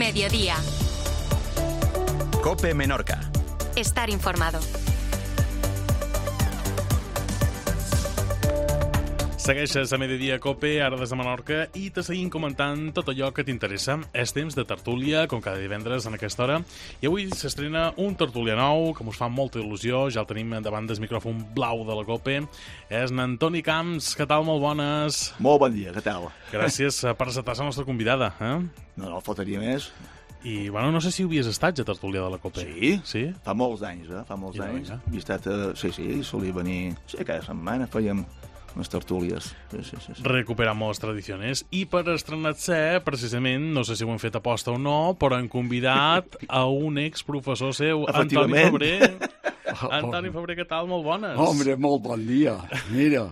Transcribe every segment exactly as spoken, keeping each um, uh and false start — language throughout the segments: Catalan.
Mediodía. COPE Menorca. Estar informado. Segueixes a Mediodía COPE, ara des de Menorca, i te seguim comentant tot allò que t'interessa. És temps de tertúlia, com cada divendres en aquesta hora, i avui s'estrena un tertúlia nou, que mos fa molta il·lusió. Ja el tenim davant del micròfon blau de la COPE. És n'Antoni Camps. Què tal? Molt bones. Molt bon dia, què tal? Gràcies per acceptar la nostra convidada. Eh? No, no, faltaria més. I, bueno, no sé si havies estat a tertúlia de la COPE. Sí, sí? Fa molts anys, eh? Fa molts I anys. no, He estat, uh, sí, sí, solia venir... Sí, cada setmana fèiem unes tertúlies. Sí, sí, sí, sí. Recuperamos tradiciones. I per estrenar-se, precisament, no sé si ho hem fet aposta o no, però hem convidat a un exprofessor seu, Antoni Febrer. Antoni Febrer, què tal? Molt bones. Home, molt bon dia. Mira,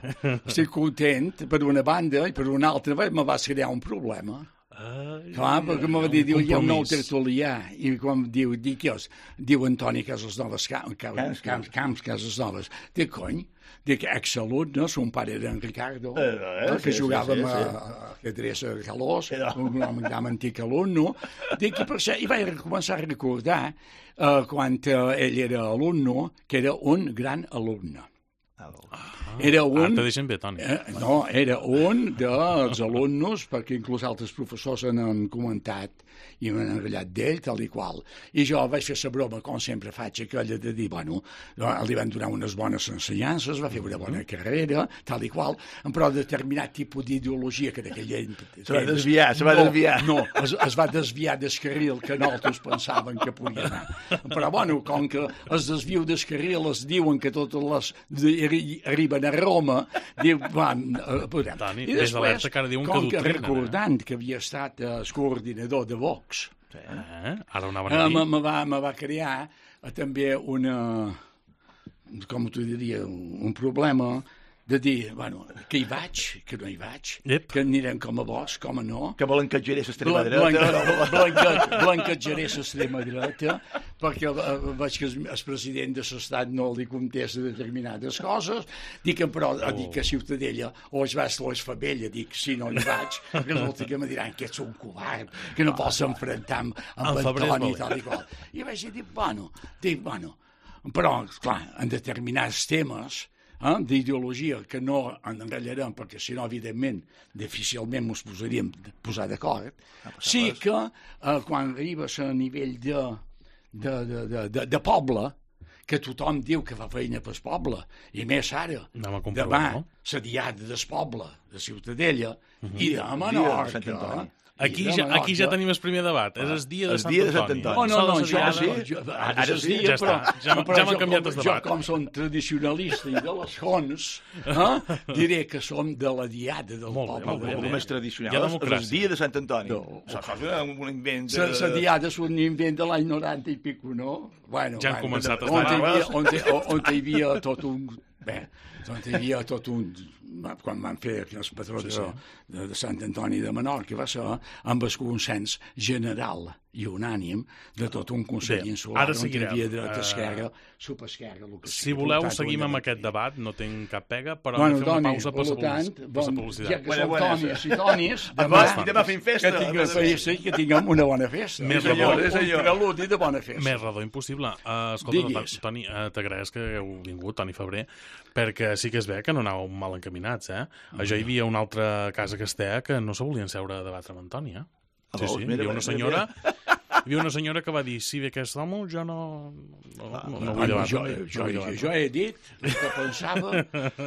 estic content per una banda i per una altra me va crear un problema. Ai, Clar, perquè me va dir, diu, hi ha un nou compromís. tertulià, i quan diu, dic jo, diu Antoni Casas Noves, Camps, Camps, Camps, Camps Casas Noves. Dic, cony, dic, exalumne, son pare era en Ricardo, Eh, eh, que sí, jugàvem sí, sí, a, a ajedrez a Calós, Eh, no. un home gran antic alumne. Dic, i per això, i vaig començar a recordar, eh, quan eh, ell era alumne, que era un gran alumne. Era un... Ara te deixen bé, Toni. Eh, no, era un dels alumnes, perquè inclús altres professors han comentat i m'han enratllat d'ell, tal i qual. I jo vaig fer la broma, com sempre faig, aquella de dir, bueno, li van donar unes bones ensenyances, va fer una bona carrera, tal i qual, però determinat tipus d'ideologia que d'aquell... Se va desviar, se va no, desviar. No, es, es va desviar del carril que nosaltres pensaven que podia anar. Però, bueno, com que es desviu del carril, es diuen que totes les de- arriben a Roma, diu, van, eh, podem. Toni, I ves alerta que ara diuen que com que adoctrinen, recordant que havia estat eh, el coordinador de Vox, Eh? Ara ho anaven eh, a me, dir. me, va, me va crear eh, també una, com t'ho diria, un, un problema de dir, bueno, que hi vaig, que no hi vaig, Yep. que anirem com a vos, com a no. Que blanquejaré l'extrema Blan- dreta. blanca- blanca- Blanquejaré l'extrema dreta, perquè eh, veig que el el president de l'estat no li contesta determinades coses, dic que, però, oh. dic que a Ciutadella o es vas o es fa vella, dic, si no hi vaig, resulta que me diran que ets un covard, que no pots enfrontar amb, amb El Febrer és Antoni i valent. tal i qual. I vaig dir, bueno, dic, bueno, però, clar, en determinats temes, eh, d'ideologia que no enratllarem, perquè si no, evidentment, difícilment ens posaríem a posar d'acord, sí que eh, quan arribes a nivell de, de, de, de, de, de poble, que tothom diu que fa feina pel poble, i més ara, Anem a comprovar, demà, no? la diada del poble, de Ciutadella, i de Dia de Menorca, Sant Antoni. Aquí i de ja, aquí ja Menorca. tenim el primer debat. És el dia de El Sant dia de Sant Antoni. Antoni. Oh, no, no, Sols jo, diada- sí, jo, ara, Ara sí, sí, ja però, està. Ja m'ha- però ja m'ha jo canviat com- el Jo, debat. com som tradicionalista i de les fonts, eh, diré que som de la diada del Molt bé, poble. molt bé, El bé. més tradicional Hi ha és el democràcia. dia de Sant Antoni. No. Això és un invent La, de... la diada és un invent de l'any noranta i pico, no? Bueno, Ja han bueno, començat a on hi havia, estar- on, hi- on hi havia tot un... Bé, on hi havia tot un... Quan van fer el patró de, de, de Sant Antoni de Menorca, va ser amb el consens general i unànim de tot un Consell Bé, Insular, ara on hi seguirem. havia dreta, Eh, esquerra, subesquerra, el que Si sigui. voleu, Per tant, seguim ho amb hem de aquest dir. debat. No tinc cap pega, però Bueno, hem de fer una Toni, pausa per per la tant, publicitat. bon, ja publicitat. que Bona, som bona, Tonis i Tonis, Ah, demà, va, demà fem festa. que tinguem, sí, sí, que tinguem una bona festa. Més Un redó. un preludi de bona festa. Més redó impossible. Uh, escolta, Digues. Toni, uh, t'agraeix que hagueu vingut, Toni Febrer, perquè sí que es ve que no anàveu mal encaminats, eh? Ah, Jo hi havia una altra casa que estea que no se volien seure a debatre amb Antoni, eh? Sí, veus? sí, hi Mira, havia una mira, senyora... Hi havia una senyora que va dir, si ve aquest home, jo no, no, no, no vull Bueno, debatre. jo, no jo, vull jo, debatre. jo he dit el que pensava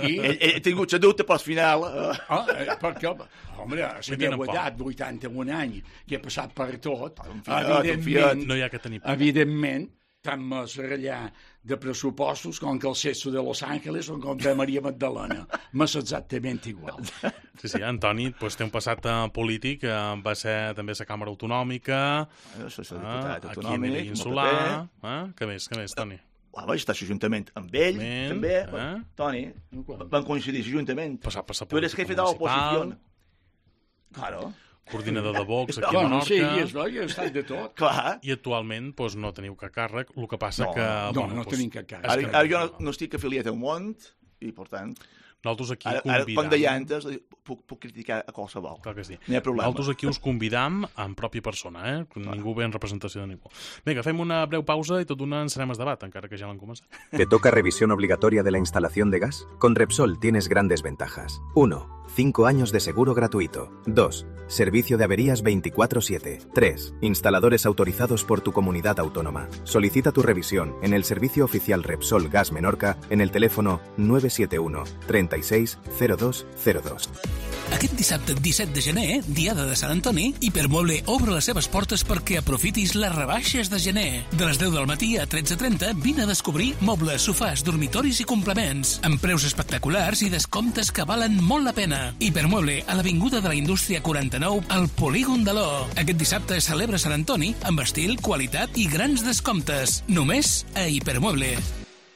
i... Ell, ell ha tingut la dubte, però al final... Eh, Ah, eh, perquè, home, a la Vull dir, meva no edat, vuitanta-un anys, que he passat per tot, Confiat, evidentment, No hi ha que tenir... evidentment, tant més ratllar de pressupostos com que el Cesso de Los Ángeles o com de Maria Magdalena. M'és exactament igual. Sí, sí, Antoni pues, té un passat eh, polític, eh, va ser també a la Càmera Autonòmica, jo soc eh, diputat aquí a autonòmic, nivell amb el insular... P P. Eh? Què més, què més, Toni? Ah, vaig estar a l'Ajuntament amb ell, Ben, també. eh? Toni, van coincidir a l'Ajuntament. Passar per la Tu eres política jefe de la municipal. oposición. Claro, Coordinador de Vox aquí a Bueno, Menorca... sí, és, no? Jo he estat de tot. clar. I actualment doncs, no teniu cap càrrec, el que passa No, que... No, bueno, no doncs, tenim cap cas. és Ara, que- ara jo no, no estic afiliat a un món i, per tant... Nosaltres aquí Ara, convidam... ara, com deia antes, puc, puc criticar a qualsevol. Clar que sí. No hi ha problema. Nosaltres aquí us convidam en pròpia persona, eh? Ningú ve en representació de ningú. Vinga, fem una breu pausa i tot d'una encenem el debat, encara que ja l'han començat. ¿Te toca revisión obligatoria de la instalación de gas? Con Repsol tienes grandes ventajas. uno. cinco años de seguro gratuito. dos. Servicio de averías veinticuatro siete. tres. Instaladores autorizados por tu comunidad autónoma. Solicita tu revisión en el servicio oficial Repsol Gas Menorca en el teléfono nueve siete uno, treinta y seis, cero dos cero dos. Aquest dissabte disset de gener, Diada de Sant Antoni, Hipermueble obre les seves portes perquè aprofitis les rebaixes de gener. De les deu del matí a tretze trenta, vine a descobrir mobles, sofàs, dormitoris i complements, amb preus espectaculars i descomptes que valen molt la pena. Hipermueble, a l'Avinguda de la Indústria quaranta-nou, al Polígon de l'O. Aquest dissabte celebra Sant Antoni amb estil, qualitat i grans descomptes. Només a Hipermueble.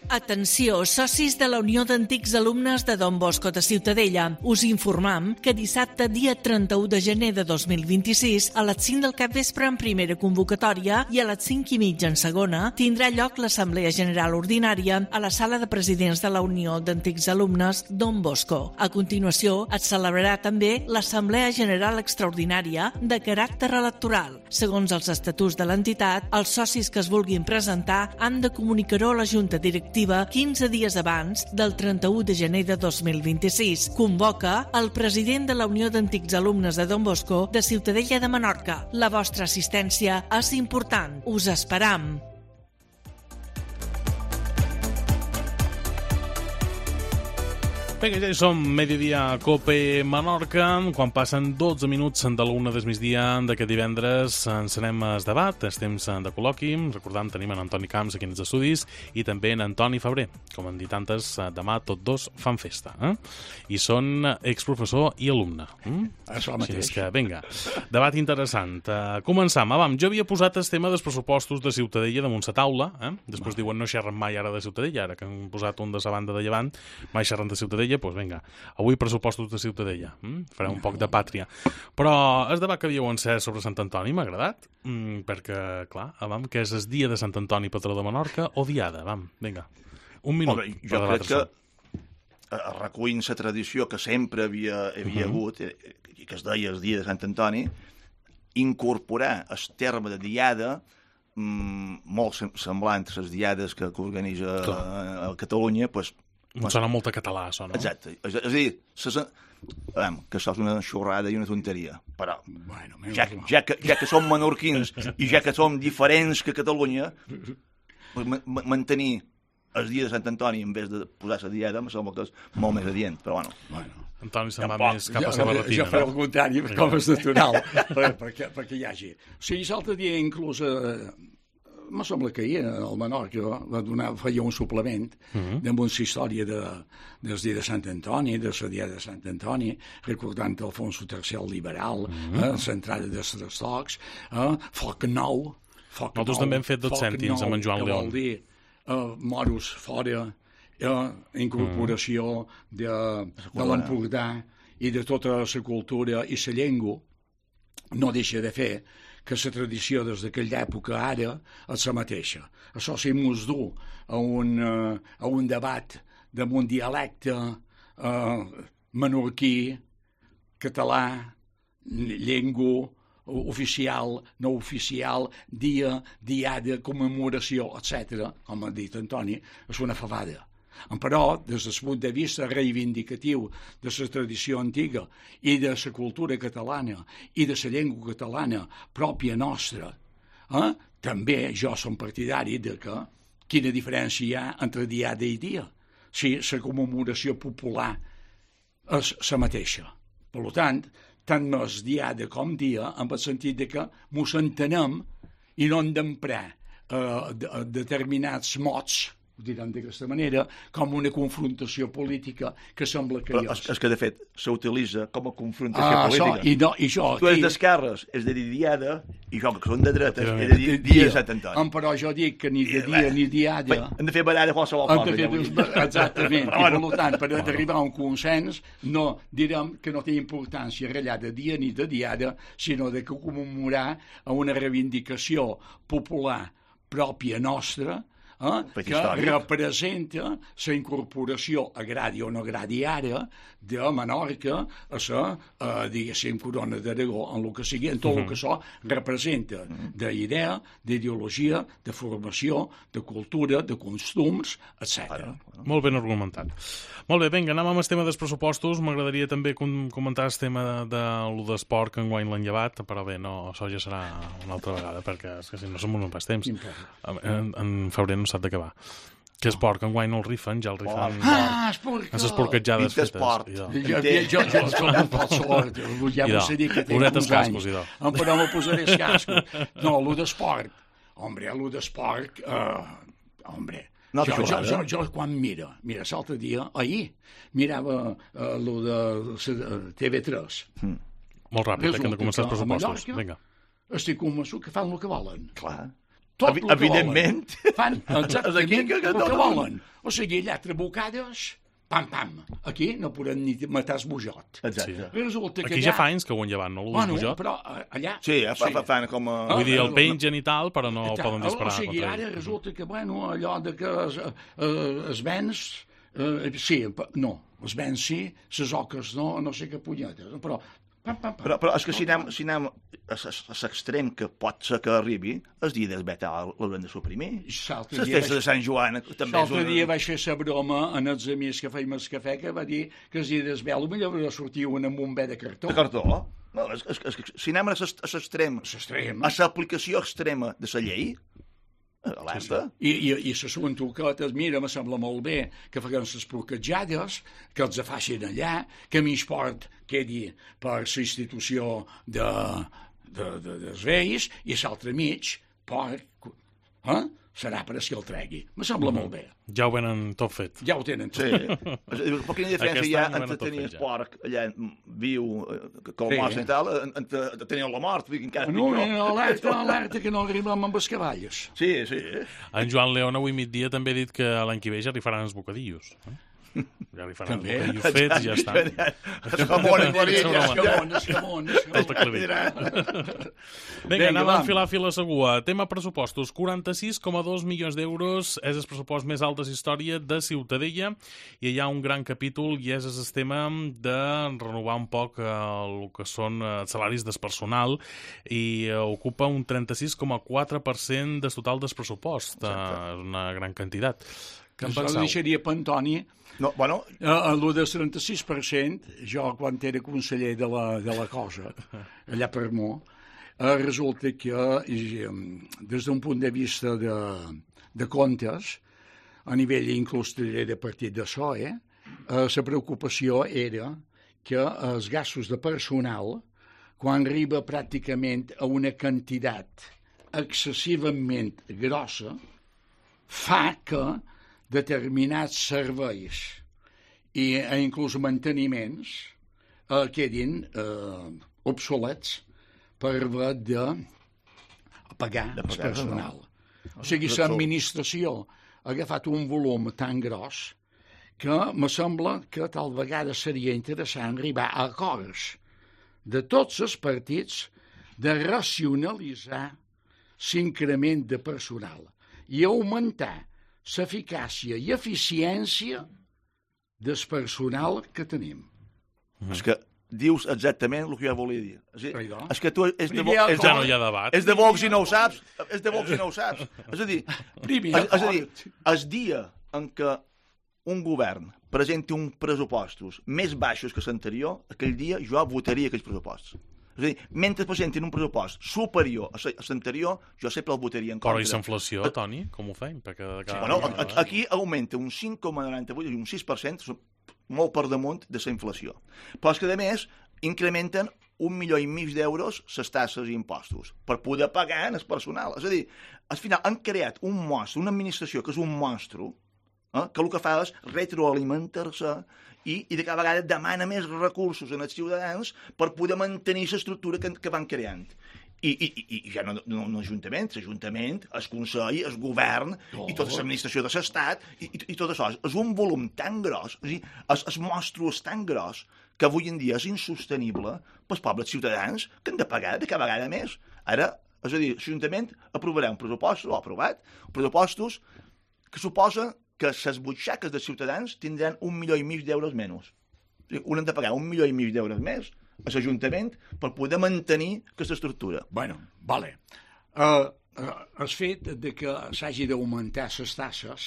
Atenció, socis de la Unió d'Antics Alumnes de Don Bosco de Ciutadella. Us informam que dissabte, dia trenta-u de gener de dos mil vint-i-sis, a les cinc del capvespre en primera convocatòria i a les cinc i mitja en segona, tindrà lloc l'Assemblea General Ordinària a la sala de presidents de la Unió d'Antics Alumnes Don Bosco. A continuació, es celebrarà també l'Assemblea General Extraordinària de caràcter electoral. Segons els estatuts de l'entitat, els socis que es vulguin presentar han de comunicar-ho a la Junta Directiva quinze dies abans del trenta-u de gener de dos mil vint-i-sis. Convoca el president de la Unió d'Antics Alumnes de Don Bosco de Ciutadella de Menorca. La vostra assistència és important. Us esperam. Vinga, ja hi som, Mediodía Cope Menorca, quan passen dotze minuts de l'una del migdia d'aquest divendres ens anem al debat, és temps de col·loqui, recordant tenim en Antoni Camps aquí en els estudis i també en Antoni Febrer, com han dit antes, demà tots dos fan festa, eh? I són exprofessor i alumne. Mm? Això mateix. Així és que, vinga, debat interessant. Uh, començam, avam, jo havia posat el tema dels pressupostos de Ciutadella damunt la taula, eh? Després Va. diuen no xerren mai ara de Ciutadella, ara que han posat un de la banda de llevant, mai xerren de Ciutadella, doncs pues vinga, avui pressupostos de Ciutadella, mm? farem un poc de pàtria. Però el debat que havíeu encès sobre Sant Antoni m'ha agradat, mm, perquè, clar, vam, que és el dia de Sant Antoni, patró de Menorca, o diada, vam, vinga, un minut. Home, jo crec que recuint la tradició que sempre havia, havia uh -huh. hagut, i que es deia el dia de Sant Antoni, incorporar el terme de diada mm, molt semblant a les diades que, que organitza a, a Catalunya, doncs, Em sona molt a català, això, no? Exacte. És, és a dir, ses, veiem, que això és una xorrada i una tonteria, però bueno, ja, ja, que, ja que som menorquins i ja que som diferents que Catalunya, mantenir el dia de Sant Antoni en vez de posar la diada em sembla que és molt més adient, però bueno. bueno. Antoni se'n va més cap a la barretina. Jo faré el contrari, no? Com és natural, perquè, perquè hi hagi. O sigui, l'altre dia inclús... Eh, me sembla que ahir el Menorca va donar, feia un suplement uh -huh. amb una història de, dels dies de Sant Antoni, de la dia de Sant Antoni, recordant Alfonso tercer el liberal, uh -huh. eh, l'entrada dels tres tocs, eh, foc nou, foc Nosaltres nou, també hem fet dos cèntims amb en Joan León. Vol dir, eh, moros fora, eh, incorporació uh -huh. de, de l'Empordà i de tota la cultura i la llengua, no deixa de fer que la tradició des d'aquella època ara és la mateixa. Això si mos du a un, uh, a un debat d'un dialecte uh, menorquí, català, llengua oficial, no oficial, dia, diada, commemoració, etcètera, com ha dit Antoni, és una fabada. Però, des del punt de vista reivindicatiu de la tradició antiga i de la cultura catalana i de la llengua catalana pròpia nostra, eh, també jo som partidari de que quina diferència hi ha entre diada i dia, si la commemoració popular és la mateixa. Per tant, tant més diada com dia, en el sentit de que mos entenem i no hem d'emprar eh, de, determinats mots, ho direm d'aquesta manera, com una confrontació política que sembla que però hi és. És que, de fet, s'utilitza com a confrontació ah, política. So, i no, i jo, tu ets i... d'esquerres, és de dir diada, i jo, que són de dretes, és de dir dia de Sant Antoni. Però jo dic que ni de dia ni diada... Hem de fer baralla qualsevol cosa. Ja exactament, i per tant, per arribar a un consens, no direm que no té importància ratllar de dia ni de diada, sinó de commemorar una reivindicació popular pròpia nostra, eh, Fet que històric. representa la incorporació, agradi o no agradi ara, de Menorca a la, eh, diguéssim, corona d'Aragó, en el que sigui, en tot el que això representa d'idea, d'ideologia, de formació, de cultura, de costums, etcètera. Molt ben argumentat. Molt bé, vinga, anem amb el tema dels pressupostos. M'agradaria també com comentar el tema de, de lo d'esport que enguany l'han llevat, però bé, no, això ja serà una altra vegada, perquè és que si no som un pas temps. En, en febrer no s'ha d'acabar. Que esport, que enguany no el rifen, ja el rifen... Ah, esport! Les esporquetjades fetes. Esport. Jo, jo, jo, jo, jo, sort, ja m'ho sé dir que té uns anys. Però m'ho posaré els cascos. No, el d'esport. Hombre, el d'esport... Uh, hombre, no, jo, jo, jo, jo quan mira, mira, l'altre dia, ahir, mirava uh, el de T V tres. Mm. Molt ràpid, eh, que han de començar els pressupostos. Vinga. Estic convençut que fan el que volen. Clar. Tot el que evidentment. Volen. Fan exactament que, que, que, el que volen. O sigui, allà trebocades, pam, pam. Aquí no podran ni matar el bujot. Exacte. Resulta que aquí allà... ja fa anys que ho han llevat, no? El bueno, bujot. però allà... Sí, ja fa, sí. fa, fan com a... Vull dir, el pengen i tal, però no Ta, poden disparar. O sigui, ara resulta que, bueno, allò de que es, eh, es vens... Eh, sí, no, es vens sí, les oques no, no sé què punyetes, però... Pam, pam, pam. Però, però és que si anem, si anem a l'extrem que pot ser que arribi, el dia del Betal l'haurem de suprimir. Les festes de Sant Joan també és una... una... dia vaig fer la broma en els amics que feim el cafè, que va dir que el dia del Betal potser hauria de sortir un amb un bé de cartó. De cartó? No, és, és, és, si anem a l'extrem, a l'aplicació extrema de la llei, alerta. I, i, i les suentoquetes, mira, me sembla molt bé que facin les porquetjades, que els facin allà, que mig port quedi per la institució de, de, de, dels reis, i l'altre mig port, eh? serà per a si el tregui. Me sembla mm. molt bé. Ja ho venen tot fet. Ja ho tenen tot. Sí. Però quina diferència hi ha entre tenir el porc allà viu, com sí. mostra i tal, entre tenir la mort? No, no, alerta, alerta, que no arribem amb els cavalls. Sí, sí. En Joan León avui migdia també ha dit que l'any que ve ja rifaran els bocadillos. Eh? Ja li faran també. Els bocadillos fets i ja està. Escamón, escamón, escamón. Vinga, anem a enfilar fil a segua. Tema pressupostos. quaranta-sis coma dos milions d'euros és el pressupost més alt de la història de Ciutadella i hi ha un gran capítol i és el tema de renovar un poc el que són els salaris del personal i ocupa un trenta-sis coma quatre per cent del total del pressupost. És una gran quantitat. Què en penseu? penseu? Deixaria per Antoni. No, bueno... El del trenta-sis per cent, jo quan era conseller de la, de la cosa, allà per Mo, eh, resulta que eh, des d'un punt de vista de, de comptes, a nivell inclús de partit de S O E, eh, la preocupació era que els gastos de personal, quan arriba pràcticament a una quantitat excessivament grossa, fa que determinats serveis i eh, inclús manteniments eh, quedin eh, obsolets per haver de pagar el personal. No. O sigui, l'administració ha agafat un volum tan gros que me sembla que tal vegada seria interessant arribar a acords de tots els partits de racionalitzar l'increment de personal i augmentar l'eficàcia i eficiència del personal que tenim. Mm. És que dius exactament el que jo volia dir. És, dir, és que tu és de, Vo és, ja no hi ha debat. És de Vox i no ho saps. És de Vox i no ho saps. És a dir, és, és a dir, el dia en què un govern presenti uns pressupostos més baixos que l'anterior, aquell dia jo votaria aquells pressupostos. És a dir, mentre presentin un pressupost superior a l'anterior, jo sempre el votaria en contra. Però i la inflació, Toni, com ho fem? Perquè sí, bueno, aquí augmenta un cinc coma noranta-vuit, un sis per cent, molt per damunt de la inflació. Però és que, a més, incrementen un milió i mig d'euros les taxes i impostos per poder pagar el personal. És a dir, al final han creat un monstre, una administració que és un monstre, eh, que el que fa és retroalimentar-se i, i de cada vegada demana més recursos als ciutadans per poder mantenir l'estructura que, que van creant. I, i, i ja no, no, no l'Ajuntament, l'Ajuntament, el Consell, el Govern oh. i tota l'administració de l'Estat i, i, i tot això. És un volum tan gros, és a dir, el, el monstru és tan gros que avui en dia és insostenible pels pobles ciutadans que han de pagar de cada vegada més. Ara, és a dir, l'Ajuntament aprovarà un pressupost, o ha aprovat, pressupostos que suposa que les butxaques dels ciutadans tindran un milió i mig d'euros menys. Un han de pagar un milió i mig d'euros més a l'Ajuntament per poder mantenir aquesta estructura. Bueno, vale. Uh, uh, el fet de que s'hagi d'augmentar les tasses,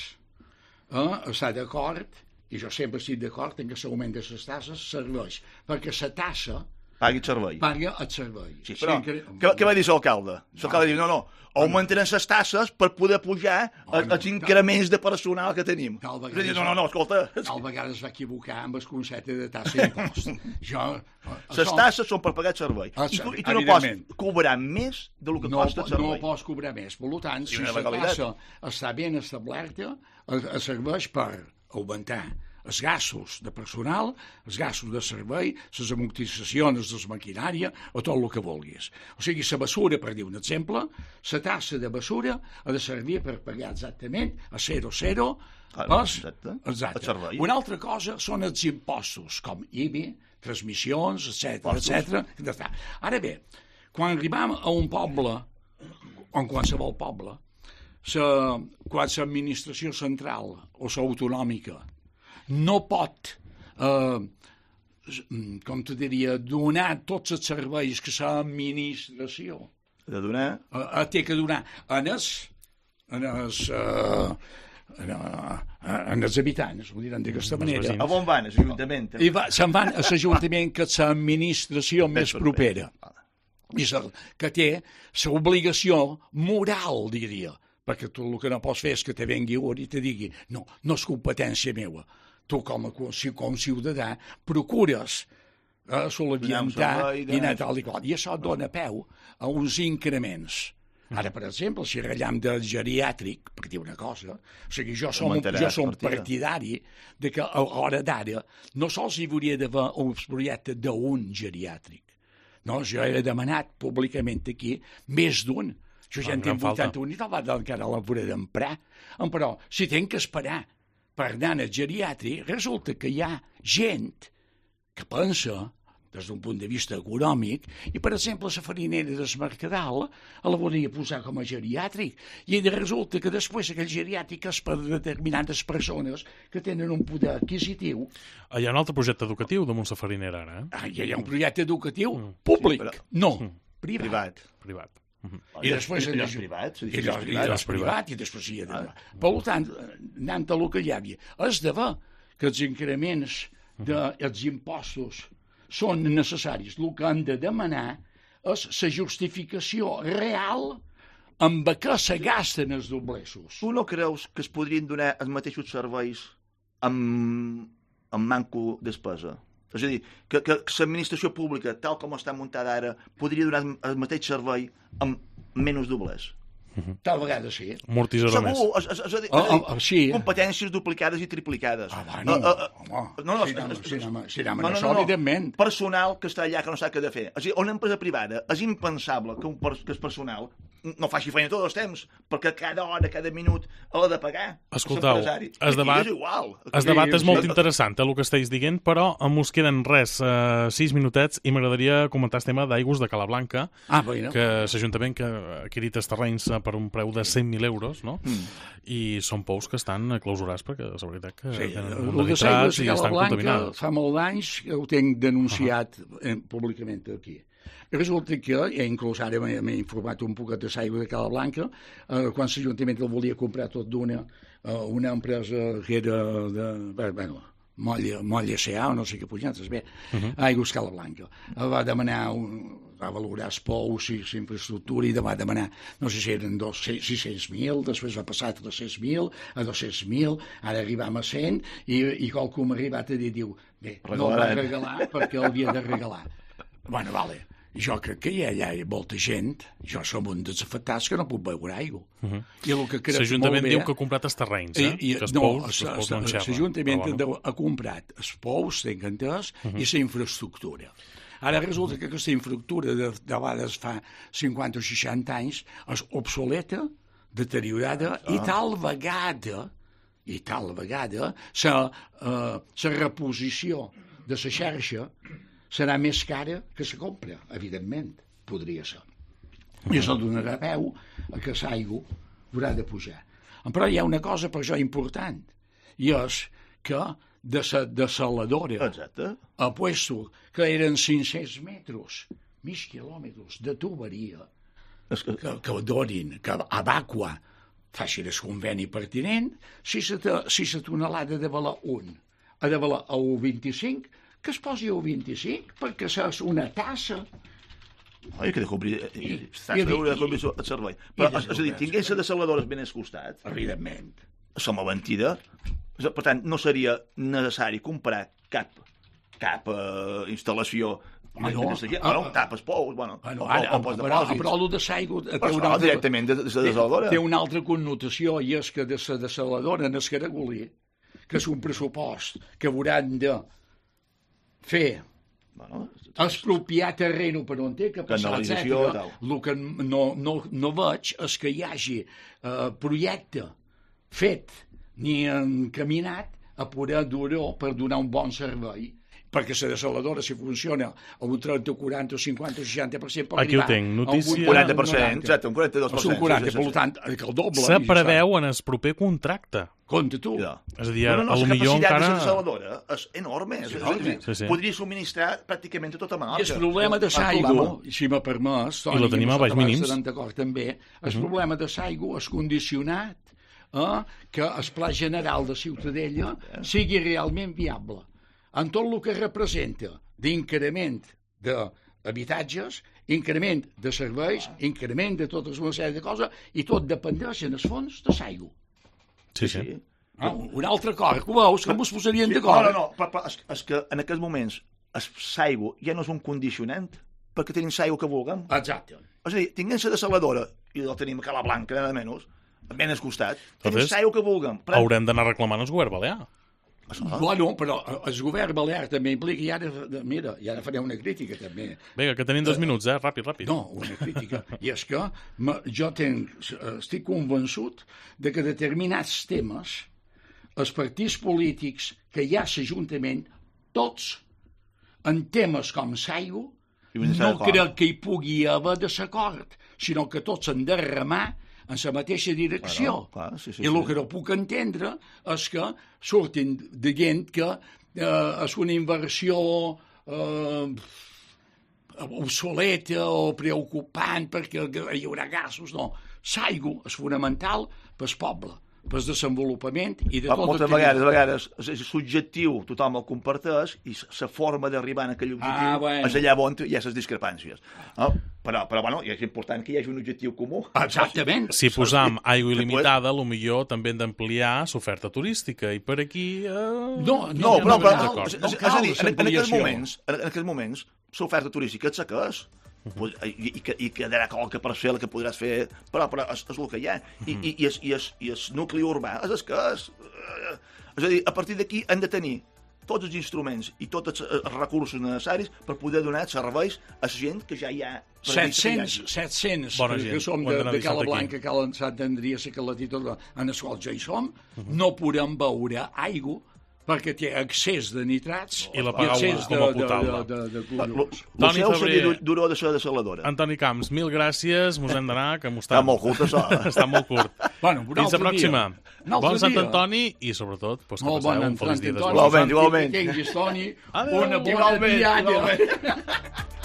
uh, està d'acord, i jo sempre estic d'acord en que l'augment de les tasses serveix, perquè la tassa pagui el servei. paga el servei. Sí, però, sí, què, què va dir l'alcalde? L'alcalde no. diu, no, no, augmentaran les tasses per poder pujar bueno, els increments de personal que tenim. Tal vegada, no, no, no, escolta. Tal vegada es va equivocar amb el concepte de tassa d'impost. Jo... Les tasses són per pagar el servei. I tu, i tu no pots cobrar més del que no, costa el servei. No pots cobrar més. Per tant, si la tassa està ben establerta, es serveix per augmentar els gastos de personal, els gastos de servei, les amortitzacions de la maquinària o tot el que vulguis. O sigui, la basura, per dir un exemple, la tassa de basura ha de servir per pagar exactament a zero zero ah, exacte. Exacte. Una altra cosa són els impostos, com I B I, transmissions, etcètera, etcètera. Ara bé, quan arribam a un poble, o en qualsevol poble, sa, quan l'administració central o l'autonòmica no pot, eh, com te diria, donar tots els serveis que l'administració de donar eh, té que donar en els, en els, eh, en, en els habitants, ho diran d'aquesta manera. A on van, a l'Ajuntament? I va, se'n van a l'Ajuntament, que és l'administració més propera, i que té l'obligació moral, diria, perquè tu el que no pots fer és que te vengui un i te digui no, no és competència meva. Tu, com a com ciutadà, procures eh, solventar i anar tal i qual. I això dona peu a uns increments. Ara, per exemple, si rellam del geriàtric, per dir una cosa, o sigui, jo som, jo som partidari de que a l'hora d'ara no sols hi hauria d'haver un projecte d'un geriàtric. No, jo he demanat públicament aquí més d'un. Jo ja en tinc vuitanta-un i tal vegada encara la veuré d'emprar. Però si tenc que esperar per anar al geriàtric, resulta que hi ha gent que pensa des d'un punt de vista econòmic i, per exemple, la farinera del Mercadal la volia posar com a geriàtric i resulta que després aquell geriàtric és per determinades persones que tenen un poder adquisitiu. Hi ha un altre projecte educatiu damunt la farinera ara, eh? Ah, hi ha un projecte educatiu mm. públic, sí, però... no, mm. privat. Privat. privat. Uh-huh. I després i els privats, i els privats i després hi ha de... ah. Per tant, anant a el que hi havia, és de ver que els increments dels impostos són necessaris. El que han de demanar és la justificació real amb què se gasten els dobleços. Tu no creus que es podrien donar els mateixos serveis amb, amb manco despesa? És a dir, que, que l'administració pública, tal com està muntada ara, podria donar el mateix servei amb menys doblers. Tal vegada sí. Amortitzador més. Segur, és, és, és, és, oh, oh, sí. competències duplicades i triplicades. Ah, va, no, uh, uh, home, no, no, si anem, si anem, si anem no, no, això, no, evidentment. Personal que està allà que no sap què de fer. És a dir, una empresa privada és impensable que, un, que el personal no faci feina tots els temps, perquè cada hora, cada minut l'ha de pagar. Escoltau, es debat, és igual. Es debat és molt interessant, eh, el que estàs dient, però mos queden res, eh, sis minutets, i m'agradaria comentar el tema d'Aigües de Calablanca, ah, bueno. que l'Ajuntament que ha adquirit els terrenys per un preu de cent mil euros, no? Mm. I són pous que estan clausurats perquè és veritat que sí, tenen un de nitrats i estan contaminats. Fa molt d'anys que ho tinc denunciat uh -huh. públicament aquí. Resulta que, i inclús ara m'he informat un poquet de l'aigua de Calablanca, eh, quan l'Ajuntament el volia comprar tot d'una, eh, una empresa que era de... Bueno, Molla, Molla S A o no sé què pujantes, bé, uh -huh. Aigües Calablanca. Va demanar, un, va valorar els pous i l'infraestructura i va demanar, no sé si eren sis-cents mil, després va passar a tres-cents mil, a dos-cents mil, ara arribam a cent, i, i qualcú m'ha arribat a dir, diu, bé, no el va regalar perquè l'havia de regalar. Bueno, vale. Jo crec que hi ha allà molta gent, jo som un dels afectats que no puc beure aigua. Uh -huh. I el que crec L'Ajuntament bé, diu que ha comprat els terrenys, eh? I, i, que els no, pous, els pous no enxerra. L'Ajuntament bueno. ha comprat els pous, tenc entès, uh -huh. i la infraestructura. Ara resulta que aquesta infraestructura de, de vegades fa cinquanta o seixanta anys és obsoleta, deteriorada, ah. i tal vegada, i tal vegada, la uh, reposició de la xarxa serà més cara que se compra, evidentment, podria ser. I això donarà peu a que l'aigua haurà de pujar. Però hi ha una cosa per això important, i és que de la desaladora Exacte. a puesto que eren cinc-cents metres, mig quilòmetres de tuberia, És que... que, que donin, que Abaqua faci el conveni pertinent, si la si tonelada de valer un ha de valer a un coma vint-i-cinc, que es posi a un coma vint-i-cinc, perquè és una tassa. Oi, que de cobrir... I- Estàs i- de i- cobrir el servei. Però, i- és a dir, tingués la desaladora ben al costat, Evidentment. som a mentida. Per tant, no seria necessari comprar cap cap uh, instal·lació Ah, no. de sequera. Ah, Bueno, tapes pous, bueno, Bueno, o, ara, o, o pots però, depòsits. però el de Saigo té Però una no, altra, directament de, de la desaladora. té una altra connotació, i és que de la desaladora en el Caragolí, que és un pressupost que hauran de fer Bueno, expropiar terreno per on té que passar, Canalització, etcètera. tal. El que no, no, no veig és que hi hagi eh, projecte fet ni encaminat a poder dur-ho per donar un bon servei, perquè la desaladora, si funciona a un trenta, quaranta, cinquanta, seixanta per cent, pot Aquí ho arribar tinc, a un notícia- vuitanta, quaranta per cent, noranta. exacte, un quaranta-dos per O sigui, cent. un quaranta, sí, sí, sí. per tant, que el doble. Se i ja preveu en el proper contracte. està. Compte tu. Ja. És a dir, No, no, no, a lo la millor capacitat encara... de la desaladora és enorme. És, enorme. Sí, sí. Podria subministrar pràcticament a tota Menorca. I el problema de El Saigo, problema- si m'ha permès, Toni, I lo tenim a baix mínims. estarem d'acord també, el problema de Saigo és condicionat a que el pla general de Ciutadella sigui realment viable. En tot el que representa d'increment d'habitatges, increment de serveis, increment de totes una sèrie de coses, i tot dependeix en el fons de Saigo. Sí, sí. Sí. Ah, un altre acord, que ho veus, que ens posarien No, d'acord. no, no, però, però és, és que en aquests moments el Saigo ja no és un condicionant, perquè tenim Saigo que vulguem. Exacte. És a dir, tinguem la desaladora, i la tenim a Cala Blanca, nada menys, ben al costat, tenim Entonces, Saigo que vulguem. Però... Haurem d'anar reclamant el govern balear. Això, Bueno, però el govern balear també implica, i ara, mira, i ara faré una crítica també. Vinga, que tenim dos minuts, eh? Ràpid, ràpid. No, una crítica. I és que ma- jo tenc, estic convençut de que determinats temes, els partits polítics que hi ha a l'Ajuntament, tots, en temes com Saigo, I vull estar no d'acord. crec que hi pugui haver desacord, sinó que tots han de remar en la mateixa direcció. Bueno, clar, sí, sí, I el sí. que no puc entendre és que surtin dient que eh, és una inversió eh, obsoleta o preocupant perquè hi haurà gasos. No, Saigo és fonamental pel poble, pel desenvolupament i de Però tot moltes el que... vegades, a vegades, és, és subjectiu, tothom el comparteix, i la forma d'arribar a aquell objectiu Ah, bueno. és allà on hi ha les discrepàncies. No? Però, però, bueno, és important que hi hagi un objectiu comú. Exactament. Si posam aigua Que il·limitada, a lo millor també hem d'ampliar l'oferta turística, i per aquí... Eh... No, No, no, però, no però cal, és, no és, és cal a dir, en, en aquests l'ampliació. moments, en, en aquests moments, l'oferta turística és la que és. Pues, i, i, que, i quedarà qualque parcel que podràs fer, però, però és, és el que hi ha. I, i, i, és, i, és, i el nucli urbà és el que és. Eh, És a dir, a partir d'aquí hem de tenir tots els instruments i tots els, els recursos necessaris per poder donar serveis a la gent que ja hi ha. previst que hi set-cents, hagi. set-cents, Bona que gent, som ho hem de, d'anar de deixant Cala aquí. Blanca, Cala Sant Andria, la Calatita, en els quals ja hi som, no podem beure aigua perquè té excés de nitrats I la pagau excés com a potable. de, de, de, de Lo, collons. lo Toni seu Febrer. seria duró de ser desaladora. Antoni Camps, mil gràcies, mos hem d'anar, que mos Està molt curt, això. Està molt curt. Bueno, un Fins la altre pròxima. dia. Un altre Bon Sant dia. Antoni i, sobretot, pues, que Molt passeu bon un feliç dia Antoni. d'esmorzar. Igualment, igualment. Que tinguis, Toni, Adéu. una bona Igualment, diada. igualment.